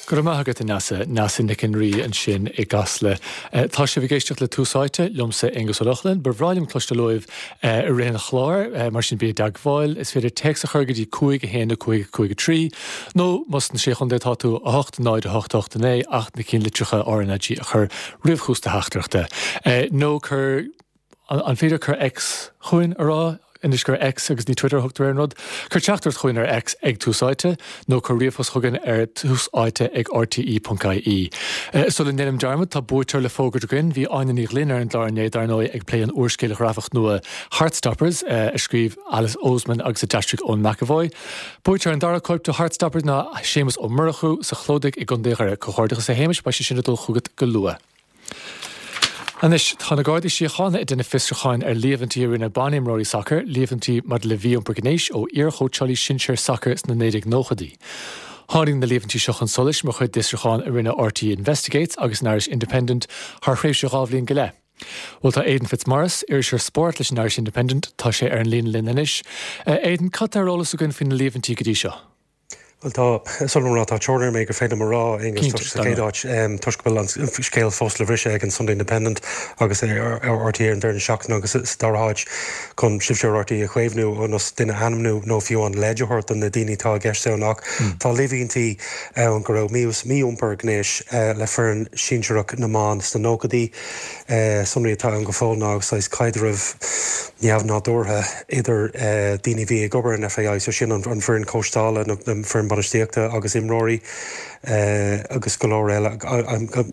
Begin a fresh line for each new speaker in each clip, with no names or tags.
Go raibh maith agat, a Neasa. Neasa Nic an Rí ansin i gCasla. Tá sibh ag éisteacht le Tús Áite, liomsa Aonghus Ó Lochlainn. Ba bhreá liom cloisteáil uaibh i rith an chláir, mar sin bí i dteagmháil. Is féidir téacs a chur go dtí 5 1 5 5 3, nó más sna Sé Chontae atá tú, 8 0 8 8 9, ach na cinnlitreacha RnaG a chur roimh thús do theachtaireachta. Nó cuir. An féidir cur X chugainn a rá anois gur X agus ní Twitter a thugtar ar an rud? Cuir teachtaireacht chugainn ar X ag Tús Áite nó cuir ríomhphost chugainn ar túsáite ag rte.ie. Sula ndéanaim dearmad, tá buaiteoir le fógairt againn. Bhí Áine Ní Ghlinn ar an gclár inné, dar ndóigh, ag plé an úrscéil ghrafach nua Heartstoppers, a scríobh Alice Oseman agus a d'aistrigh Eoin McEvoy. Buaiteoir an dara cóip de Heartstoppers ná Séamus Ó Murchú sa Chlódaigh i gContae Dhoire. Comhghairdeachas a Shéamais, beidh sé sin ag dul chugat go luath. Anois, tá na Gardaí Síochána ag déanamh fiosrúcháin ar líomhaintí a rinne banimreoirí sacair, líomhaintí maidir le mhí-iompar gnéis ó iarchóitseálaí sinsir sacair sna 1990idí. Tháinig na líomhaintí seo chun solais mar chuid d'fhiosrúchán a rinne RTÉ Investigates agus an Irish Independent thar thréimhse 2 bhliain go leith. Bhuel, tá Aidan Fitzmaurice, iriseoir spóirt leis an Irish Independent, tá sé ar an líne linn anois. Aidan, cad tá ar eolas againn faoi na líomhaintí go dtí seo?
Bhuel tá, sula rá, tá teorainn ar an méid gur féidir liom a rá, Aonghus, toisc sa chéad áit, toisc go bhfuil an scéal fós le briseadh ag an Sunday Independent agus ar RTÉ ar an deireadh seachtaine agus sa dara háit chun sibhse ar RTÉ a chaomhnú ionas duine a ainmniú nó fiú an leid a thabhairt do na daoine atá i gceist ann ach tá líomhaintí ann go raibh mí-iompar gnéis le foireann sinsearach na mban sna nóchaidí. Sonraí atá ann go fóill ná saghas caidreamh neamhnádúrtha idir daoine a bhí ag obair in FAI, so sin an foireann cóisteála, na foireann bainistíochta agus imreoirí agus go leor eile,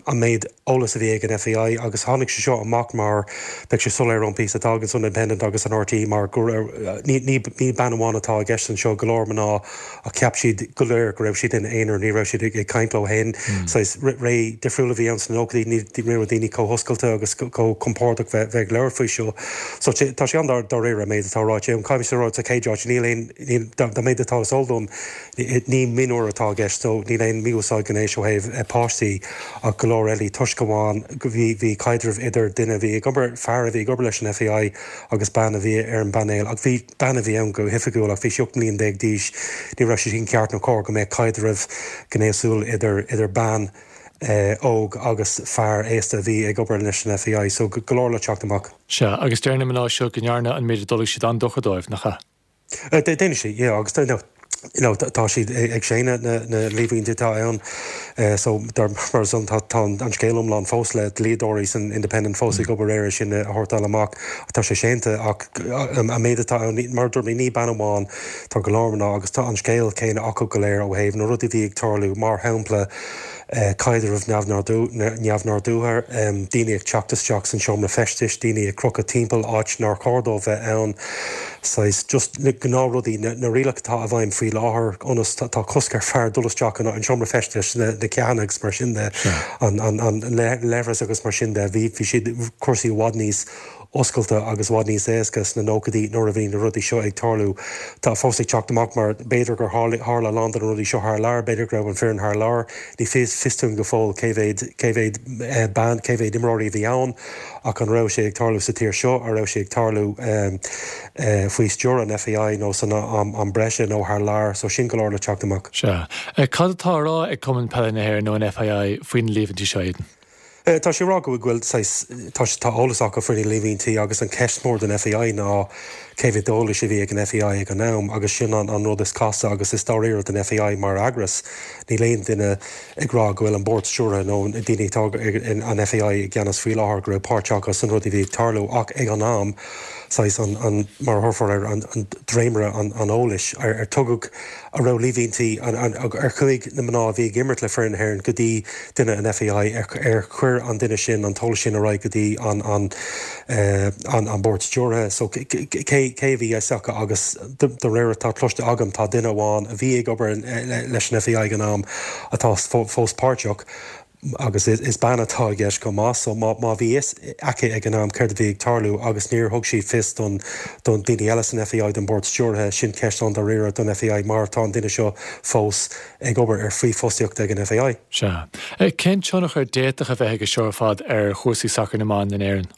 an méid eolas a bhí ag an FAI agus tháinig sé seo amach mar, beidh sé soiléir ón píosa atá ag an Sunday Independent agus an RTÉ mar go raibh, ní bean amháin atá i gceist anseo, go leor mná Ach cheap siad go léir go raibh siad ina aonar, ní raibh siad ag caint leo féin. Saghas ré difriúil a bhí ann sna nóchaidí, ní raibh daoine chomh hoscailte agus chomh compordach bheith ag labhairt faoi seo. So tá sé an-dáiríre an méid atá ráite ann. Caithfidh mé a rá sa chéad áit, níl aon, níl, dá méid atá is eol dom, ní mionúir atá i gceist, so níl aon mhí-úsáid gnéis ó thaobh páistí ach go leor eile toisc amháin go bhí, bhí caidreamh idir duine a bhí ag obair, fear a bhí ag obair leis an FAI agus bean a bhí ar an bpainéal ach bhí, Bean a bhí ann go hoifigiúil ach bhí sí 18 mbliain d'aois. Ní raibh sé sin ceart nó cóir go mbeadh caidreamh gnéasúil idir idir bean óg agus fear aosta a bhí ag obair leis an FAI. So go leor le teacht amach.
Sea, agus deir na mná seo go ndearna an méid a d'fhulaing siad an-dochar dóibh, nach ea?
Déanann sé, yeah, agus you know, tá siad ag séanadh na líomhaintí atá ann so mar san tá an scéal iomlán fós le dlíodóirí san Independent fós ag obair air sin a shórtáil amach. Tá sé séanta ach an méid atá ann, mar a dúirt mé, ní bean amháin, tá go leor mná agus tá an scéal céanna acu go léir ó thaobh na rudaí a bhí ag tarlú, mar shampla caidreamh neamhnádúrtha, daoine ag teacht isteach san seomra feistis, daoine ag crochadh timpeall áit nár chóir dóibh bheith ann, saghas just na gnáthrudaí, na rialacha atá i bhfeidhm faoi láthair ionas tá cosc ar fear dul isteach an seomra feistis, na ceathanna agus mar sin de, an leithreas agus mar sin de, bhí siad cúrsaí i bhfad níos oscailte agus i bhfad níos éasca sna nóchaidí nuair a bhí na rudaí seo ag tarlú. Tá fós ag teacht amach mar b'fhéidir gur tharla a lán de na rudaí seo thar lear, b'fhéidir go raibh an foireann thar lear, ní fios fios dúinn go fóill cé mhéad cé mhéad bean, cé mhéad imreoirí a bhí ann ach an raibh sé ag tarlú sa tír seo, an raibh sé ag tarlú faoi stiúir an FAI nó san am breise nó thar lear, so sin go leor le teacht amach.
Sea. Cad atá á rá ag Cumann Peile na hÉireann nó an FAI faoi na líomhaintí seo, Aidan?
Tá sé ag rá go bhfuil saghas, tá tá eolas acu faoi na líomhaintí agus an ceist mór don FAI ná cé mhéad eolais a bhí ag an FAI ag an am agus sin an an rud is casta agus is dáiríre don FAI mar eagras. Níl aon duine ag rá go bhfuil an bord stiúrtha nó na daoine atá ag an FAI i gceannas faoi láthair go raibh páirt acu san rud a bhí ag tarlú ach ag an am saghas an an mar a thabharfar air an an dréimire an an eolais ar ar tugadh An raibh líomhaintí, ar chuaigh na mná a bhí ag imirt le foireann na hÉireann go dtí duine an FAI, ar chuir an duine sin an t-eolas sin ar aghaidh go dtí an bord stiúrtha? So cé a bhí fhios acu agus de réir atá cloiste agam tá duine amháin a bhí ag obair leis an FAI ag an am atá fós páirteach. Agus is bean atá i gceist chomh maith, so má bhí fhios aici ag an am céard a bhí ag tarlú agus níor thug sí fios don don daoine eile san FAI, don bord stiúrtha, sin ceist an-dáiríre don FAI mar tá an duine seo fós ag obair ar faoi fostaíocht ag an FAI.
Sea. Cén tionchar a d'fhéadfadh a bheith aige seo ar fad ar chúrsaí sacair na mban in Éirinn?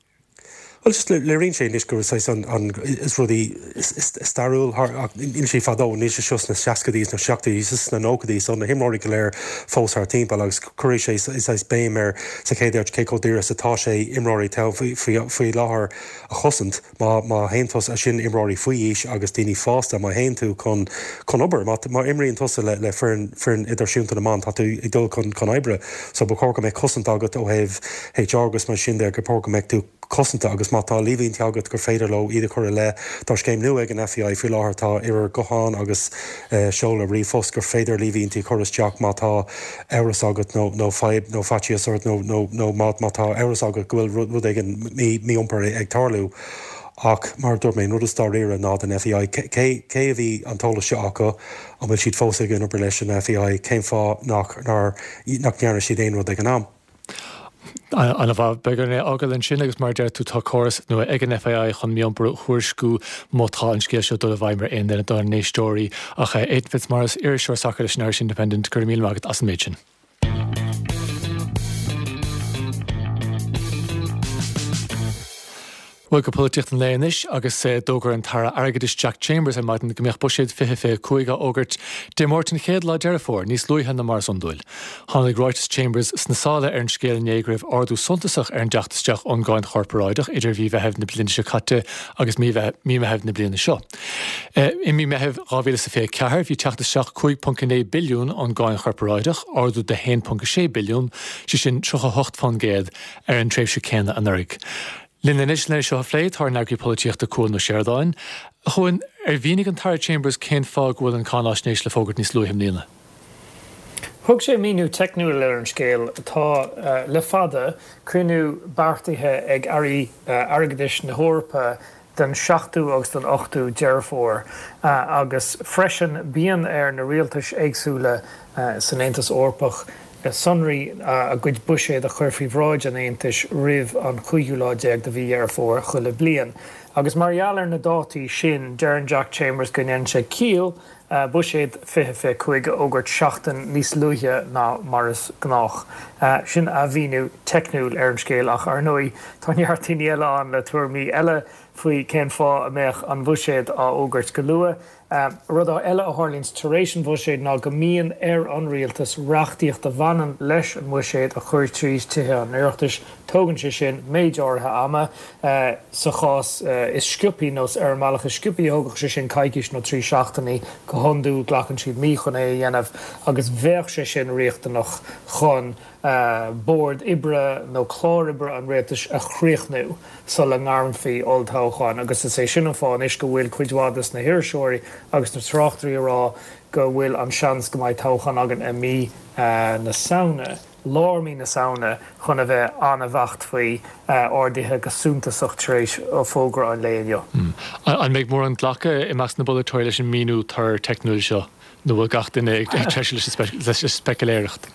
Bhuel, just léiríonn sé anois go bhfuil saghas an, an, is rudaí stairiúil thar, ach níl sé fadó, níl sé seo sna seascaidí sna seachtóidí, is sna nóchaidí, so na himreoirí go léir fós thar timpeall agus cuirfidh sé saghas béim ar sa chéad áit cé chomh daor is atá sé imreoirí atá faoi, faoi, faoi láthair a chosaint. Má, má théann tusa, sin imreoirí faoi aois agus daoine fásta, má théann tú chun, chun obair, má, má imríonn tusa le, le foireann, foireann idirnáisiúnta na mban, tá tú ag dul chun, chun oibre, so ba chóir go mbeadh cosaint agat ó thaobh HR agus mar sin de, gur chóir go mbeadh tú cosanta agus má tá líomhaintí agat gur féidir leo iad a chur i leith. Tá scéim nua ag an FAI faoi láthair, tá uimhir gutháin agus seoladh ríomhphost gur féidir líomhaintí a chur isteach má tá amhras agat nó nó fadhb nó faitíos ort nó nó nó má má tá amhras agat go bhfuil rud éigin mí-iompar ag tarlú. Ach mar a dúirt mé, an rud is dáiríre ná don FAI, cé cé a bhí an t-eolas seo acu, an bhfuil siad fós ag obair leis an FAI, cén fáth nach nár nach ndearna siad aon rud ag an am?
An-mhaith. Beidh orainn é a fhágáil ansin agus mar a deir tú tá córas nua ag an FAI chun mí-iompar a thuairisciú má tá an scéal seo ag dul i bhfeidhm ar aon duine dár n-éisteoirí. Ach Aidan Fitzmaurice, iriseoir sacair leis an Irish Independent, go raibh míle maith agat as an méid sin. Bhuel, go polaitíocht an lae anois agus d'fhógair an tAire Airgeadais Jack Chambers ar maidin go mbeadh Buiséad 2025 á fhógairt Dé Máirt an chéad lá Deireadh Fómhair, níos luaithe ná mar is iondúil. Tháinig ráiteas Chambers sna sála ar an scéal inné go raibh ardú suntasach ar an dteacht isteach ón gcáin chorparáideach idir mhí Mheithimh na bliana seo caite agus mí Mheithimh na bliana seo. I mí Meithimh 2024 bhí teacht isteach 5.9 billiún ón gcáin chorparáideach, ardú de 1.6 billiún, sé sin 38%, ar an tréimhse céanna anuraidh. Linn anois lena seo a phlé tá ár n-eagraí polaitíochta Cuan Ó Seireadáin. A Chuain, ar mhínigh an tAire Chambers cén fáth go bhfuil an cáináisnéis le fógairt níos luaithe i mbliana?
Thug sé míniú teicniúil ar an scéal. Tá, le fada, cruinniú beartaithe ag airí airgeadais na hEorpa don seachtú agus don ochtú Deireadh Fómhair agus freisin bíonn ar na rialtais éagsúla san Aontas Eorpach sonraí a gcuid buiséad a chur faoi bhráid an Aontais roimh an chúigiú lá déag de mhí Dheireadh Fómhair chuile bliain. Agus mar gheall ar na dátaí sin, deireann Jack Chambers go ndéanann sé ciall Buiséad 2025 a fhógairt seachtain níos luaithe ná mar is gnách. Sin a mhíniú teicniúil ar an scéal ach, ar ndóigh, tá neart daoine eile ann le tuairimí eile faoi cén fáth a mbeadh an Bhuiséad á fhógairt go luath. Rud eile a tharlaíonns tar éis an bhuiséid ná go mbíonn ar an rialtas reachtaíocht a bhaineann leis an mbuiséad a chur tríd Tithe an Oireachtais. Tógann sé sin méid áirithe ama. Sa chás is sciobthaí, nó ar an mbealach is sciobthaí, thógfadh sé sin coicís nó 3 seachtainí. Go hiondúil glacann siad mí chun é a dhéanamh agus bheadh sé sin riachtanach chun bord oibre nó clár oibre an rialtais a chríochnú sula ngairmfí olltoghchán agus is é sin an fáth anois go bhfuil cuid mhaith de na hiriseoirí agus na tráchtairí ag rá go bhfuil an seans go mbeidh toghchán againn i mí na Samhna, lár mí na Samhna chun a bheith an-bheacht faoi, ardaithe go suntasach tar éis fógra an lae inniu.
An mbeidh mórán glacadh i measc na bpolaiteoirí leis an míniú tur teicniúil seo nó bhfuil gach duine ag treisiú leis an speiciléireacht?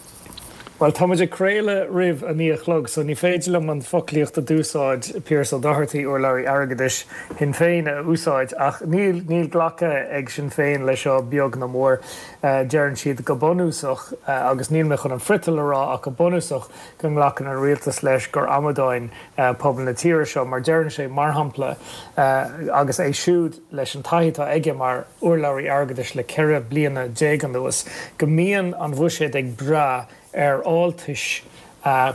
Bhuel, tá muid ag craoladh roimh a 9 a chlog, so ní féidir liom an foclaíocht a d'úsáid Pearse Doherty, urlabhraí airgeadais Shinn Féin, a úsáid, ach níl, níl glactha ag Sinn Féin leis seo beag ná mór. Deireann siad go bunúsach, agus níl mé chun an friotal a rá, ach go bunúsach, go nglacann an rialtas leis gur amadáin pobal na tíre seo, mar deireann sé, mar shampla, agus é siúd leis an taithí atá aige mar urlabhraí airgeadais le 14 bliana anuas, go mbíonn an bhuiséad ag brath ar fháltais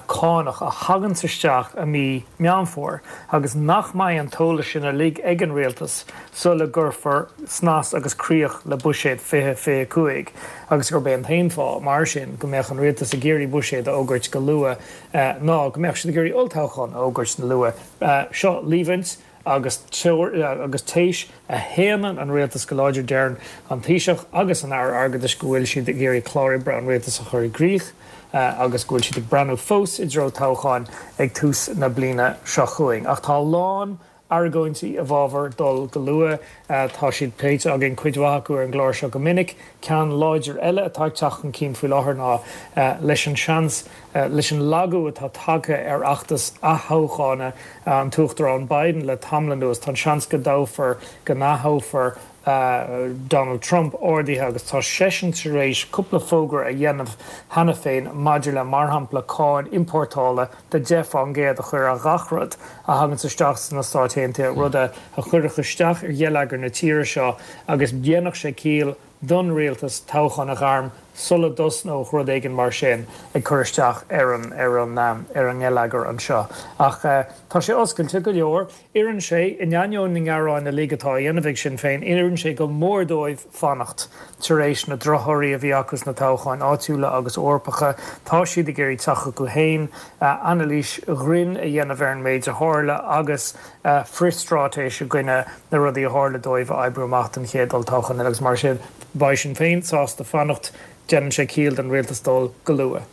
cánach a thaganns isteach i mí Meán Fómhair agus nach mbeidh an t-eolas sin uilig ag an rialtas sula gcuirfear snas agus críoch le buiséad 2025 agus gurb é an t-aon fáth, mar sin, go mbeadh an rialtas ag iarraidh buiséad a fhógairt go luath ná go mbeadh siad ag iarraidh olltoghchán a fhógairt go luath. Seo líomhaint. agus agus téis a shéanann an rialtas go láidir. Deireann an Taoiseach agus an Aire Airgeadais go bhfuil siad ag iarraidh clár oibre an rialtais a chur i gcrích agus go bhfuil siad ag breathnú fós i dtreo toghcháin ag tús na bliana seo chugainn. Ach tá a lán argóintí i bhfabhar dul go luath. Tá siad pléite againn, cuid mhaith acu, ar an gclár seo go minic. Ceann láidir eile atá ag teacht chun cinn faoi láthair ná leis an seans, leis an lagú atá tagtha ar fheachtas aththoghchána an tUachtarán Biden le tamall anuas, tá an seans go dtoghfar, go n-aththoghfar. Donald Trump ardaithe agus tá seisean tar éis cúpla fógra a dhéanamh cheana féin maidir le, mar shampla, cáin iompórtála de 10% a chur ar ghach rud a thaganns isteach sna Stáit Aontaithe, rud a chuirfeadh isteach ar gheilleagar na tíre seo agus dhéanfadh sé ciall don rialtas toghchán a ghairm sula dtosnódh rud éigin mar sin ag cur isteach ar an ar an ar an ngeilleagar anseo. Ach tá sé oscailte go leor. Oireann sé, in ainneoin na ngearáin uilig atá á dhéanamh ag Sinn Féin, oireann sé go mór dóibh fanacht. Tar éis na drochthorthaí a bhí acu sna toghcháin áitiúla agus Eorpacha, tá siad ag iarraidh teacht chucu féin, anailís ghrinn a dhéanamh ar an méid a tharla agus frithstraitéis i gcoinne na rudaí a tharla dóibh a oibriú amach don chéad olltoghchán eile agus mar sin beidh Sinn Féin sásta fanacht. Déanann sé ciall don rialtas dul go luath.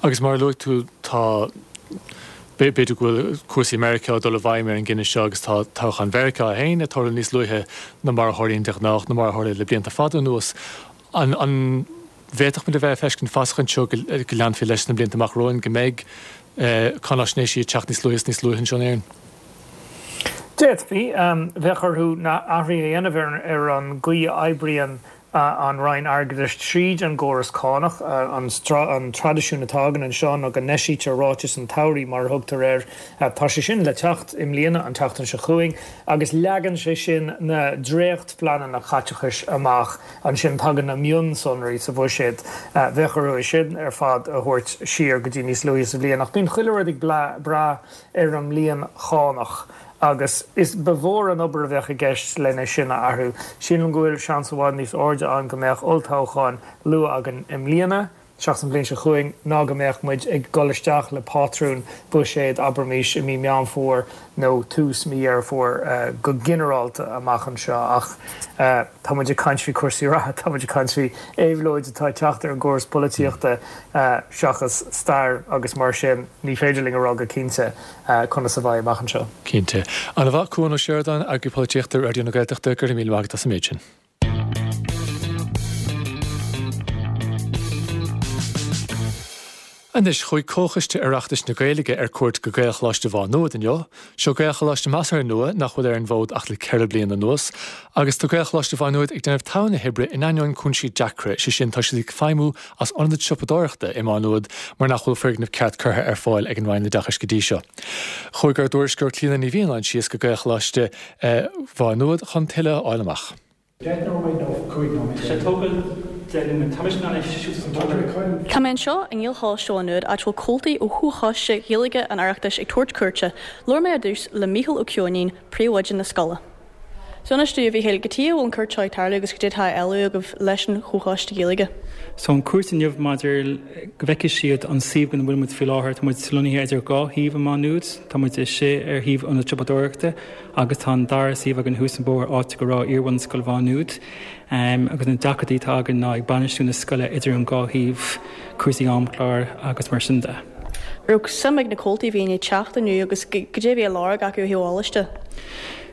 Agus mar a luaigh tú, tá, b'fhéidir go bhfuil cúrsaí i Meiriceá ag dul i bhfeidhm ar an gcinneadh seo agus tá toghchán Mheiriceá féin ag tarlú níos luaithe ná mar a tharlaíonn de ghnáth, nó mar a tharla le blianta fada anuas. An bhféadfadh muid a bheith ag feiscint fasach anseo go leanfaí leis sna blianta amach romhainn, go mbeidh cáináisnéisí ag teacht níos luaithe is níos luaithe anseo in Éirinn?
D'fhéadfaí. Bheadh orthu na athruithe a dhéanamh ar an gcaoi a oibríonn an Roinn Airgeadais tríd an gcóras cánach. An traidisiún atá againn anseo ná go n-eisítear Ráiteas an tSamhraidh, mar a thugtar air. Tá sé sin le teacht i mbliana, an tseachtain seo chugainn, agus leagann sé sin na dréachtphleananna caiteachais amach. Ansin tagann na mionsonraí sa bhuiséad. Bheadh orthu é sin ar fad a thabhairt siar go dtí níos luaithe sa bhliain. Ach bíonn chuile rud ag brath ar an mbliain chánach. Agus is ba mhór an obair a bheadh i gceist lena sin a athrú. Sílim go bhfuil seans i bhfad níos airde ann go mbeadh olltoghchán luath againn i mbliana, seachas an bhliain seo chugainn, ná go mbeadh muid ag dul isteach le pátrún buiséid, abraimis, i mí Meán Fómhair nó tús mí Dheireadh Fómhair go ginearálta amach anseo. Ach tá muid ag caint faoi chúrsaí reatha, tá muid ag caint faoi éabhlóid atá ag teacht ar an gcóras polaitíochta seachas stair agus mar sin ní féidir linn a rá go cinnte. conas a bheidh amach anseo.
Cinnte. Ana mhaith, Cuan Ó Seireadáin, Eagraí Polaitíochta Raidió na Gaeltachta, go raibh míle maith agat as an méid sin. Anois, chuaigh Comhchoiste Oireachtais na Gaeilge ar cuairt go Gaelcholáiste Mhá Nuad inniu. Seo Gaelcholáiste measartha nua nach bhfuil ar an bhfód ach le 4 bliana anuas. Agus tá Gaelcholáiste Mhá Nuad ag déanamh togha na hoibre in ainneoin cúinsí deacra, sé sin tá siad ag feidhmiú as ionad siopadóireachta i Má Nuad mar nach bhfuil foirgneamh ceart curtha ar fáil ag an Roinn Oideachais go dtí seo. Chuaigh ár dtuairisceoir Clíona Ní Mhianáin síos go Gaelcholáiste Mhá Nuad chun tuilleadh a fháil amach.
Tá mé anseo i nGaelcholáiste Mhá Nuad áit a bhfuil comhaltaí ó Chomhchoiste Gaeilge an Oireachtais ag tabhairt cuairte. Labhair mé ar dtús le Mícheál Ó Ceoinín, príomhoide na scoile. So inis domh, a Mhíchíl, cad chuige a bhfuil an cuairt seo ag tarlú agus cad é atá á éileamh agaibh leis an Chomhchoiste Gaeilge?
So an cuairt inniu maidir go bhfeicfidh siad an suíomh ina bhfuil muid faoi láthair, tá muid lonnaithe idir dhá shuíomh i Má Nuad, tá muid istigh ar shuíomh ionad siopadóireachta agus tá an dara suíomh againn thuas an bóthar áit go raibh iarbhunscoil Mhá Nuad. Agus na deacrachtaí atá againn ná ag bainistiú na scoile idir an dhá shuíomh, cúrsaí amchláir agus mar sin de.
Raibh suim ag na comhaltaí a bhí i ndiaidh teacht inniu agus cad é a bhí á lorg acu ó thaobh eolais de?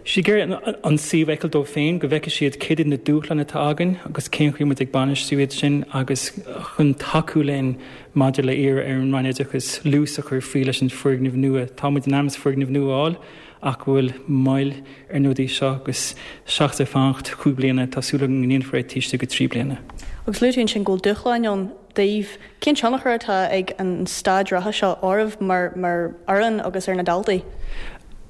Siad ag iarraidh an suíomh a fheiceáil dóibh féin, go bhfeicfidh siad céard iad na dúshláin atá againn agus cén chaoi muid ag bainistiú iad sin agus chun tacú linn maidir le iarraidh ar an Roinn Oideachais luas a chur faoi leis an foirgneamh nua. Tá muid in ainm is foirgneamh nua a fháil ach go bhfuil moill ar na rudaí seo agus seachas ag fanacht chúig bliana tá súil againn go ndéanfar é taobh istigh de thrí bliana.
Agus luaigh tú ansin go bhfuil dúshláin ann daoibh. Cén tionchar atá ag an staid reatha seo oraibh mar fhoireann agus ar na daltaí?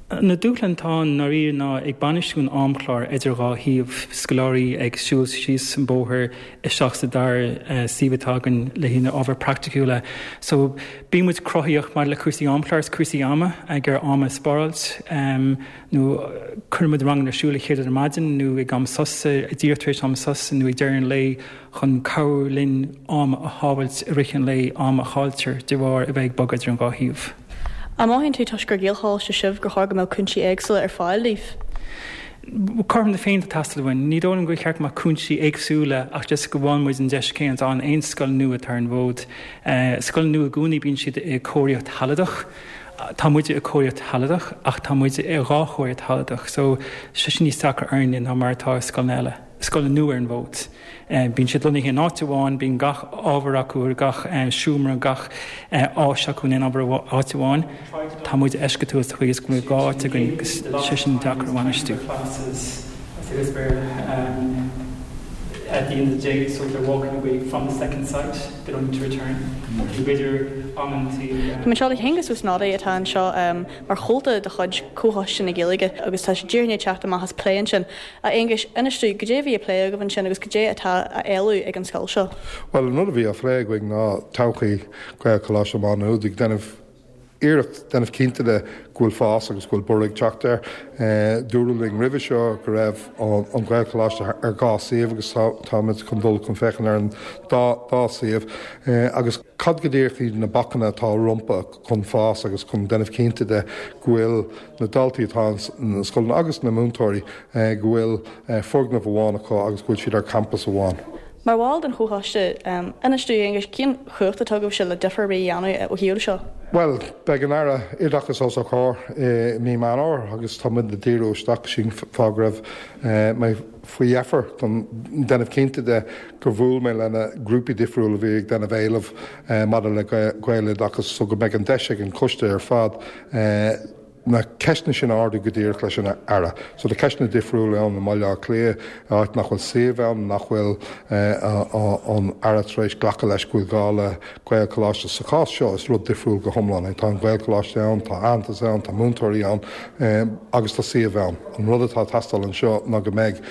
Na dúshláin atá ann i ndáiríre ná ag bainistiú an amchláir idir dhá shuíomh, scoláirí ag siúl síos an bóthar isteach sa dara suíomh atá againn le haghaidh na ábhair praiticiúla. So bíonn muid cruthaíoch maidir le cúrsaí amchláir is cúrsaí ama, ag iarraidh am a spáráilt nó cuireann muid ranganna ar siúl a chéad rud ar maidin nó ag am sosa, díreach tar éis am sosa nó ag deireadh an lae chun cabhrú linn am a shábhailt i rith an lae, am a chailltear de bharr a bheith ag bogadh idir an dhá shuíomh.
An mothaíonn tú, toisc gur Gaelcholáiste sibh, gur chóir go mbeadh cúinsí éagsúla ar fáil daoibh?
Cothrom na Féinne atá ag teastáil uainn. Ní dóigh liom gur cheart go mbeadh cúinsí éagsúla ach just go bhfaigheann muid an deis céanna atá in aon scoil nua atá ar an bhfód. Scoil nua i gcónaí bíonn siad i cóiríocht shealadach. Tá muide i cóiríocht shealadach ach tá muid i dhá chóiríocht shealadach so sé sin níos deacra orainne ná mar atá i scoileanna eile. scoileanna nua ar an bhfód. Bíonn siad lonnaithe in áit amháin, bíonn gach ábhar acu, gach seomra, gach áis acu in aon ábhar áit amháin. Tá muid eisceachtúil sa chaoi is go bhfuil dhá áit againn agus sé sin deacair a bhainistiú. Say this Béarla at the end of the day so they're walking away from the second site, they don't need to return. Nó b'fhéidir amantaí.
Tá mé anseo le hAonghus Ó Snodaigh atá anseo mar chomhalta de chuid Comhchoiste na Gaeilge agus tá sé díreach i ndiaidh teacht amach as plé ansin. A Aonghuis, inis dúinn, goidé a bhí á phlé agaibh ansin agus goidé atá á éileamh ag an scoil seo?
Bhuel, an rud a bhí á phlé againn ná todhchaí Ghaelcholáiste Mhá Nuad ag déanamh iarracht déanamh cinnte de go bhfuil fás agus go bhfuil borradh ag teacht air. Dúradh linn roimhe seo go raibh an Ghaelcholáiste ar dhá suíomh agus táimid chun dul chun féachaint ar an dá suíomh agus cad go díreach iad na bacanna atá rompu chun fás agus chun déanamh cinnte de go bhfuil na daltaí atá sna scoileanna agus na múinteoirí go bhfuil foirgneamh amháin acu agus go bhfuil siad ar campas amháin.
Mar bhall den Chomhchoiste, inis dúinn, a Aonghuis, cén chumhacht atá agaibhse le difear ar bith a dhéanamh ó thaobh seo?
Bhuel, beidh an Aire Oideachais os ár gcomhair i mí Meán Fhómhair agus tá muid ag díriú isteach sin fáth go raibh mé faoi dheifir chun déanamh cinnte de gur bhuail mé le na grúpaí difriúla a bhí ag déanamh éileamh maidir le Gaeloideachas so go mbeidh an deis ag an choiste ar fad na ceisteanna sin a ardú go díreach leis an Aire. So tá ceisteanna difriúla ann i mBaile Átha Cliath, áit nach bhfuil suíomh ann, nach bhfuil an Aire tar éis glacadh leis go bhfuil gá le Gaelcholáiste. Sa chás seo is rud difriúil go hiomlán é. Tá an Gaelcholáiste ann, tá aitheantas ann, tá múinteoirí ann agus tá suíomh ann. An rud atá ag teastáil anseo ná go mbeidh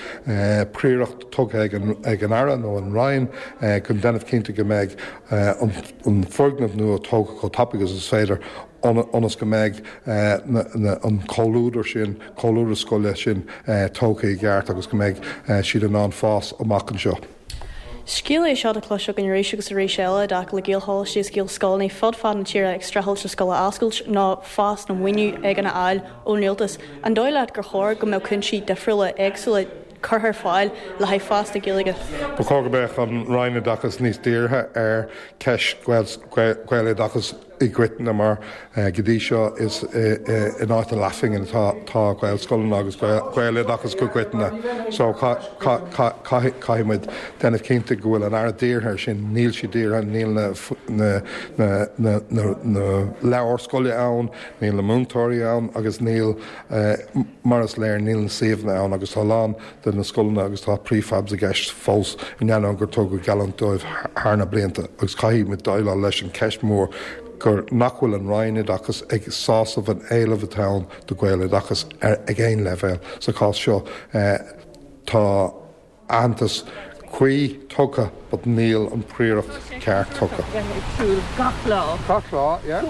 príoracht tugtha ag an Aire nó an Roinn chun déanamh cinnte go mbeidh an foirgneamh nua tógtha chomh tapaidh agus is féidir ionas go mbeidh an comhluadar sin, comhluadar scoile sin tógtha i gceart agus go mbeidh siad in ann fás amach anseo.
Scéal é seo atá cloiste againn arís agus arís eile i dtaca le Gaelcholáistí agus Gaelscoileanna fud fad na tíre ag streachailt le scoil a oscailt nó fás nó maoiniú éigin a fháil ón rialtas. An dóigh leat gur chóir go mbeadh cúinsí difriúla, éagsúla curtha ar fáil le haghaidh fás na Gaeilge?
Ba chóir go mbeadh an Roinn Oideachais níos dírithe ar cheist Gaeloideachais. i gcoitinne mar go dtí seo is in áit na leathphingin atá Gaelscoileanna agus Gaeloideachas go coiteann. So caithfidh muid déanamh cinnte go bhfuil an Aire dírithe ar sin. Níl sí dírithe, níl na leabhair scoile ann, níl na múinteoirí ann agus níl, mar is léir, níl na suíomhanna ann agus tá a lán de na scoileanna agus tá prefabs i gceist fós in ainneoin gur tugadh geallúint dóibh thar na blianta agus caithfidh muid déileáil leis an cheist mhór gur nach bhfuil an Roinn Oideachais ag sásamh an éileamh atá ann do Ghaeloideachas ag aon leibhéal. Sa chás seo tá aitheantas cuí tugtha but níl an príoracht ceart tugtha. Gach lá, yeah.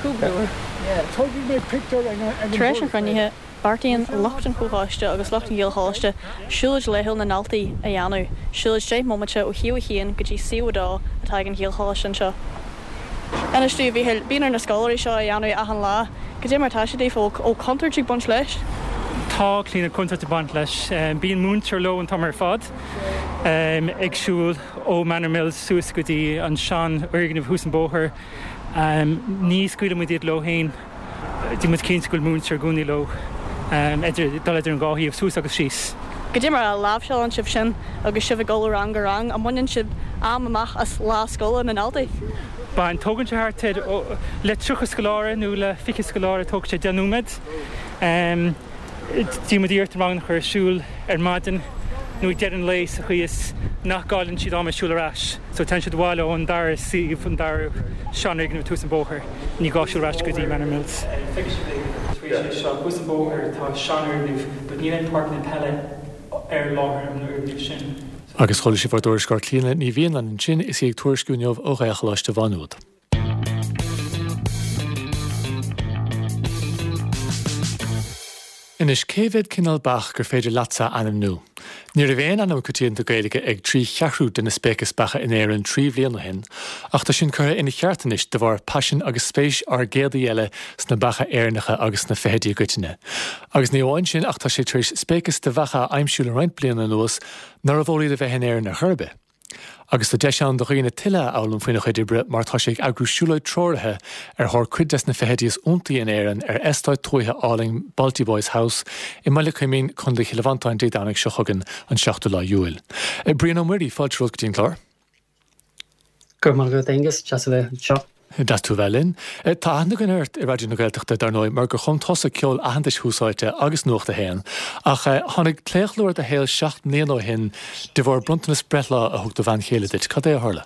Cúpla uair. Tar éis an chruinnithe, Beartaíonn lucht an Chomhchoiste agus lucht an Ghaelcholáiste siúlóid laethúil na ndaltaí a dhéanamh, siúlóid 10 mbomaite ó shuíomh 1 go dtí suíomh 2 atá ag an Ghaelcholáiste anseo. Inis dúinn, a Mhíchíl, bíonn ar na scoláirí seo a dhéanamh achan lá. Cad é mar atá sé daofa? Bhfuil contúirt ag baint leis?
Tá, Clíona, contúirt ag baint leis. Bíonn múinteoir leo an t-am ar fad, ag siúl ó Manor Mills suas go dtí an seanfhoirgneamh thuas an bóthar. Ní scaoileann muid iad leo féin. Déanann muid cinnte go bhfuil múinteoir i gcónaí leo, idir, dul idir an dhá shuíomh, suas agus síos.
Cad é mar a láimhseálann sibh sin agus sibh ag dul ó rang go rang? An mbaineann sibh am amach as lá scoile na ndaltaí?
Baineann. Tógann sé thart ar, le 30 scoláire nó le 20 scoláire, tógann sé 10 nóiméad. Déanann muid iarracht na ranganna a chur ar siúl ar maidin nó ag deireadh an lae sa chaoi is nach gcailleann siad am ag siúl ar ais. So téann siad abhaile ón dara suíomh, an dara seanfhoirgneamh thuas an bóthar. Ní gá siúl ar ais go dtí Manor Mills. Feicfidh sibh é tar éis é seo. Thuas an bóthar tá seanfhoirgneamh but níl aon páirceanna peile ar láthair an fhoirgnimh sin.
Agus chuala sibh ár dtuairisceoir Clíona Ní Mhianáin ansin is í ag tuairisciú inniu ó Ghaelcholáiste Mhá Nuad. Anois, cé mhéad cineál beach gur féidir leatsa a ainmniú? Ní raibh aon ainm coitianta Gaeilge ag 3/4 de na spéicis beacha in Éirinn 3 bhliain ó shin, ach tá sin curtha ina cheart anois de bharr paisin agus spéis ár gcéad aoi eile sna beacha Éireannacha agus sna feithidí i gcoitinne. Agus ní amháin sin ach tá sé tar éis spéiceas de bheacha a aimsiú le roinnt bliana anuas nárbh eol iad a bheith in Éirinn ar chor ar bith. Agus tá deis ann do dhaoine tuilleadh a fhoghlaim faoina chuid oibre mar tá sé ag eagrú siúlóid treoraithe ar thóir cuid des na feithidí is iontaí in Éirinn ar eastát tuaithe álainn Baltyboys House i mBaile Coimín, Co. Chill Mhantáin Dé Domhnaigh seo chugainn, an 7ú lá Iúil. Brian Ó Muirí, fáilte romhat go dtí an clár.
Go raibh maith agat Aengus, deas a bheith anseo.
Deas tú a bheith linn. Tá aithne againn ort i Raidió na Gaeltachta, dar ndóigh, mar gur chum tusa ceol aitheantais Thús Áite agus Nuacht a hAon. Ach tháinig claochlú ar do shaol 7 mbliana ó shin de bharr bronntanas breithlá a thug do bhean chéile duit. Cad é a tharla?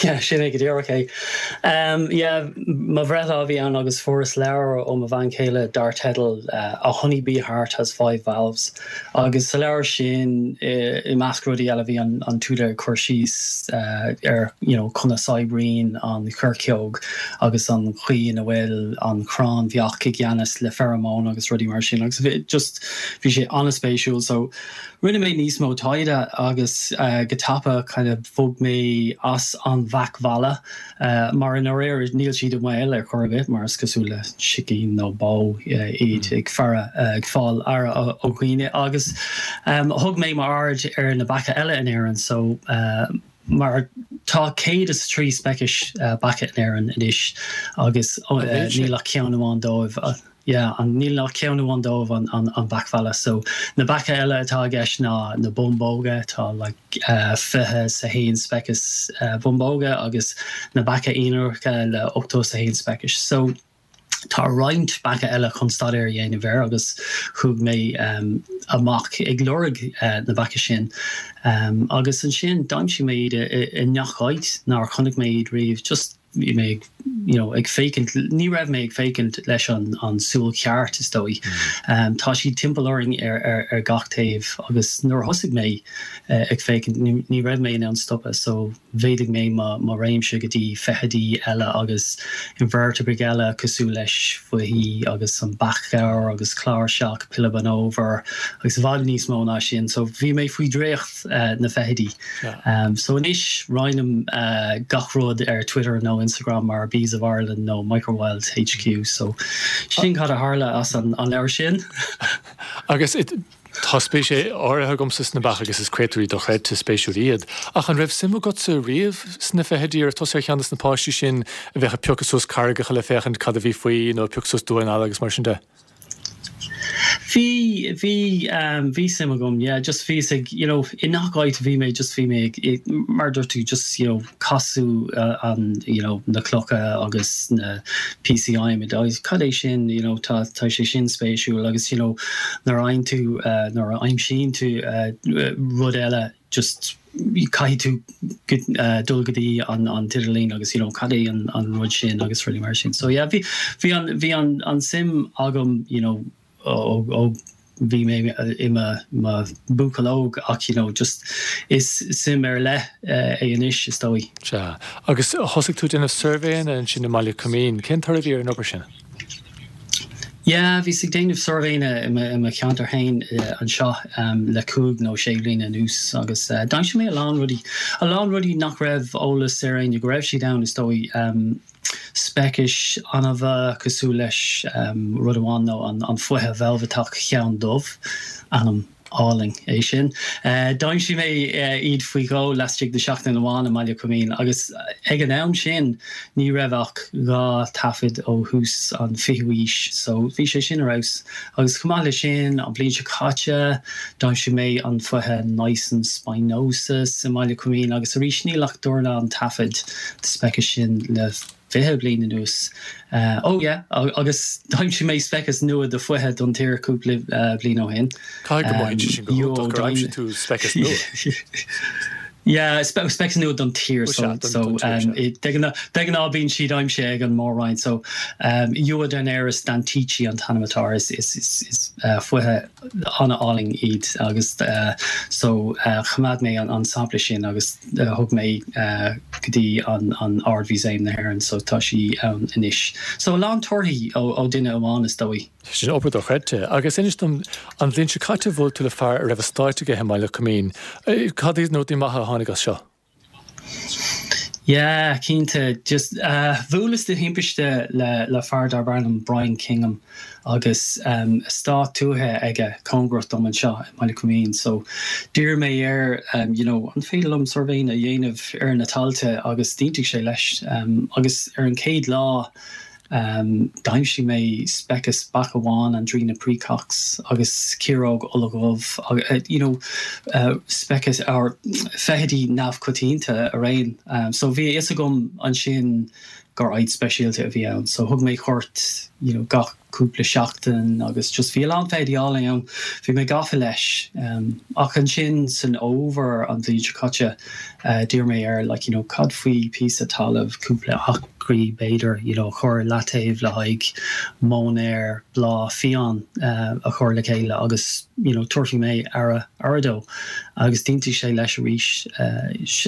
Yeah, sin é go díreach é. Yeah, mo bhreithlá a bhí ann agus fuaireas leabhar ó mo bhean chéile dar teideal A Honey Bee Heart Has Five Valves. Agus sa leabhar sin, i measc rudaí eile, bhí an t-údar ag cur síos ar you know conas oibríonn an choirceog agus an chaoi ina bhfuil an chráinbheach i gceannas le pheromone agus rudaí mar sin agus bhí just bhí sé an-spéisiúil. So rinne mé níos mó taighde agus go tapa kind of bhog mé as an bheach mheala Mar i ndáiríre níl siad i mbaol ar chor ar bith mar is cosúil le sicín nó bó iad ag faire, ag fáil aire ó dhaoine agus thug mé m'aird ar na beacha eile in Éirinn so mar tá 103 speicis beacha in Éirinn anois agus níl ach ceann amháin dóibh. Yeah, an, níl ach ceann amháin dóibh, an, an, an beach mheala. So, na beacha eile atá i gceist ná na bumbóga, tá like 21 speiceas bumbóga agus na beacha ionracha le 81 speicis. So, tá roinnt beacha eile chun staidéar a dhéanamh air agus chuaigh mé amach ag lorg na beacha sin. Agus ansin d'aimsigh mé iad i, i ngach áit nár chonaic mé iad riamh, just bhí mé ag you know ag féachaint, ní raibh mé ag féachaint leis an an súil cheart is dóigh. Tá siad timpeall orainn ar ar ar gach taobh agus nuair a thosaigh mé ag féachaint ní ní raibh mé in ann stopadh so mhéadaigh mé mo mo réimse go dtí feithidí eile agus inveirteabraigh eile cosúil leis foichí agus an beach ghabhair agus cláirseach, pilleadh an fhómhair agus i bhfad níos mó ná sin so bhí mé faoi draíocht. na feithidí. So anois roinnim gach rud ar Twitter nó Instagram mar Bees of Ireland nó Microwild HQ. So sin cad a tharla as an leabhar sin.
Agus tá spéis áirithe agamsa sna beacha agus is créatúirí dochreidte spéisiúil iad. Ach an raibh suim agatsa riamh sna feithidí? Raibh tusa ar cheann de na páistí sin a bheadh ag piocadh suas carraigeacha le féachaint cad a bhí faoi nó ag piocadh suas damháin alla agus mar sin de?
Bhí, bhí, bhí suim agam, yeah, just bhíos ag, you know, i ngach áit a bhí mé, just bhí mé ag, mar a dúirt tú, just, you know, casadh an, you know, na clocha agus na píosaí adhmaid agus cad é sin, you know, tá, tá sé sin spéisiúil agus, you know, nuair a fhaigheann tú, nuair a aimsíonn tú rud eile, just caithfidh tú dul go dtí an an t-idirlíon agus you know cad é an an rud sin agus rudaí mar sin. So yeah bhí bhí an bhí an an suim agam you know ó ó bhí mé i mo mo bhuachaill óg ach you know just is suim ar leith é anois is dóigh.
Sea. Agus thosaigh tú ag déanamh suirbhéanna ansin i mBaile Coimín. Cén toradh a bhí ar an obair sin?
Yeah, bhíos ag déanamh suirbhéanna i mo cheantar féin anseo le cúig nó sé bliana anuas agus d'aimsigh mé a lán rudaí, a lán rudaí nach raibh eolas ar éinne go raibh siad ann is dóigh. Speicis annamha cosúil leis rud amháin nó an foiche veilbhiteach cheann dubh, ainm álainn é sin. D'aimsigh mé iad faoi dhó laistigh de sheachtain amháin i mBaile Coimín agus ag an am sin ní raibh ach 2 taifead ó thús an 20ú aois so bhí sé sin ar fheabhas. Agus chomh maith leis sin, an bhliain seo caite d'aimsigh mé an foiche Nysson spinosus i mBaile Coimín agus arís níl ach dornán taifead de speiceas sin le 20 bliain anuas. Oh yeah, agus d'aimsigh mé speiceas nua de foiche don tír cúpla bliain ó shin.
Caithfidh go mothaíonn sé sin go hiontach gur aimsigh tú speiceas nua.
Yeah, speiceas nua don tír. So, so de ghnáth bíonn siad aimsithe ag an mór-roinn. So, Euodynerus dantichi an t-ainm atá air. Is foiche an-álainn iad agus so choimeád mé an sampla sin agus thug mé go dtí an Ard-Mhúsaem na hÉireann so tá sí ann anois. So a lán torthaí ó duine amháin is dóigh.
Sin obair dochreidte. Agus inis dom, an bhliain seo caite bhuail tú le fear a raibh eastát aige i mBaile Coimín. Cad iad na rudaí maithe a tháinig as seo?
Yeah, cinnte. Just bhuaileas de thimpiste le le fear darb ainm Brian Kingham. agus eastát tuaithe aige cóngarach dom anseo i mBaile Coimín so d'iarr mé air you know an féidir liom suirbhéanna a dhéanamh ar na tailte agus d'aontaigh sé leis agus ar an chéad lá. D'aimsigh mé speiceas beach amháin, Andrena praecox, agus ciaróg oladhubh, you know, speicis or feithidí neamhchoitianta araon. So bhí a fhios agam ansin gur áit speisialta a bhí ann. So thug mé cuairt, you know, gach cúpla seachtain agus just bhí a lán feithidí álainn ann. Bhí mé gafa leis. Ach ansin san fhómhar an bhliain seo caite d'iarr mé air like you know cad faoi píosa talaimh, cúpla acraí b'fhéidir, you know a chur i leataobh le haghaidh móinéar bláth fiáin a chur le chéile agus you know tabharfaidh mé aire aire dó. Agus d'aontaigh sé leis arís